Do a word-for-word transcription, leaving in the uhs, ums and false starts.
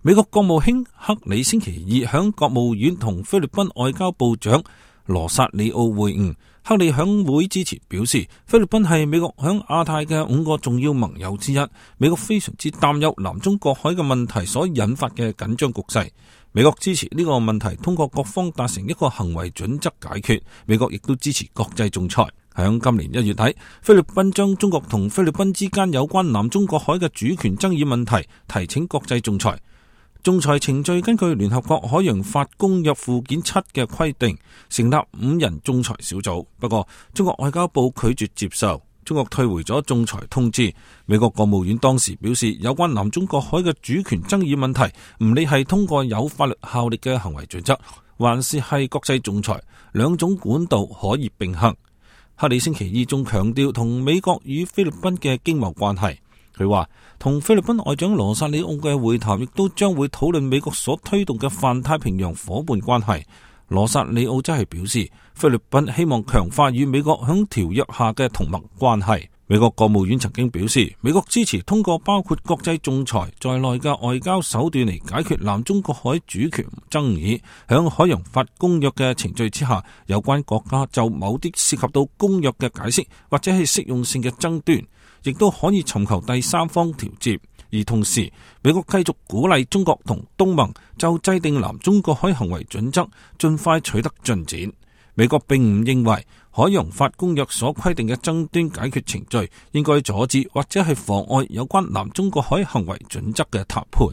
美國國務卿克里星期二響國務院同菲律賓外交部長羅薩里奧會晤。克里響會之前表示，菲律賓係美國響亞太嘅五個重要盟友之一，美國非常之擔憂南中國海嘅問題所引發嘅緊張局勢。美國支持呢個問題通過各方達成一個行為準則解決，美國亦都支持國際仲裁。響今年一月底，菲律賓將中國同菲律賓之間有關南中國海嘅主權爭議問題提請國際仲裁。仲裁程序根據聯合國海洋法公約附件七嘅規定，成立五人仲裁小組。不過，中國外交部拒絕接受，中國退回咗仲裁通知。美國國務院當時表示，有關南中國海嘅主權爭議問題，唔理係通過有法律效力嘅行為準則，還是係國際仲裁，兩種管道可以並行。克里星期二仲強調同美國與菲律賓嘅經貿關係。佢話同菲律賓外長羅薩里奧嘅會談亦都將會討論美國所推動嘅泛太平洋伙伴關係。羅薩里奧則係表示，菲律賓希望強化與美國響條約下嘅同盟關係。美國國務院曾經表示，美國支持通過包括國際仲裁在內嘅外交手段嚟解決南中國海主權爭議。響海洋法公約嘅程序之下，有關國家就某啲涉及到公約嘅解釋或者係適用性嘅爭端，亦都可以尋求第三方調節。而同時，美國繼續鼓勵中國同東盟就制定南中國海行為準則盡快取得進展。美國並唔認為海洋法公約所規定嘅爭端解決程序應該阻止或者係妨礙有關南中國海行為準則嘅談判。